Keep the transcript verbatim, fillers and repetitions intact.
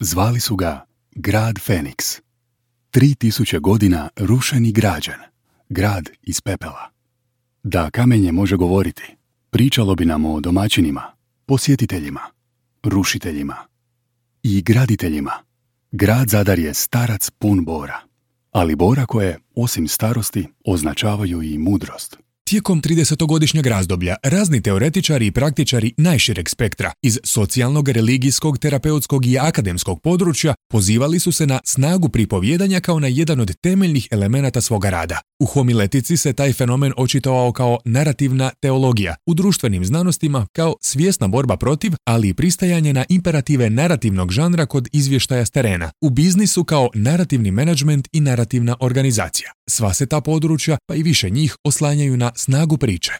Zvali su ga grad Feniks. Tri tisuće godina rušen i građen. Grad iz pepela. Da kamenje može govoriti, pričalo bi nam o domaćinima, posjetiteljima, rušiteljima i graditeljima. Grad Zadar je starac pun bora, ali bora koje, osim starosti, označavaju i mudrost. Tijekom tridesetogodišnjeg razdoblja razni teoretičari i praktičari najšireg spektra iz socijalnog, religijskog, terapeutskog i akademskog područja pozivali su se na snagu pripovjedanja kao na jedan od temeljnih elemenata svoga rada. U homiletici se taj fenomen očitovao kao narativna teologija, u društvenim znanostima kao svjesna borba protiv, ali i pristajanje na imperative narativnog žanra kod izvještaja s terena, u biznisu kao narativni menadžment i narativna organizacija. Sva se ta područja, pa i više njih, oslanjaju na snagu priče.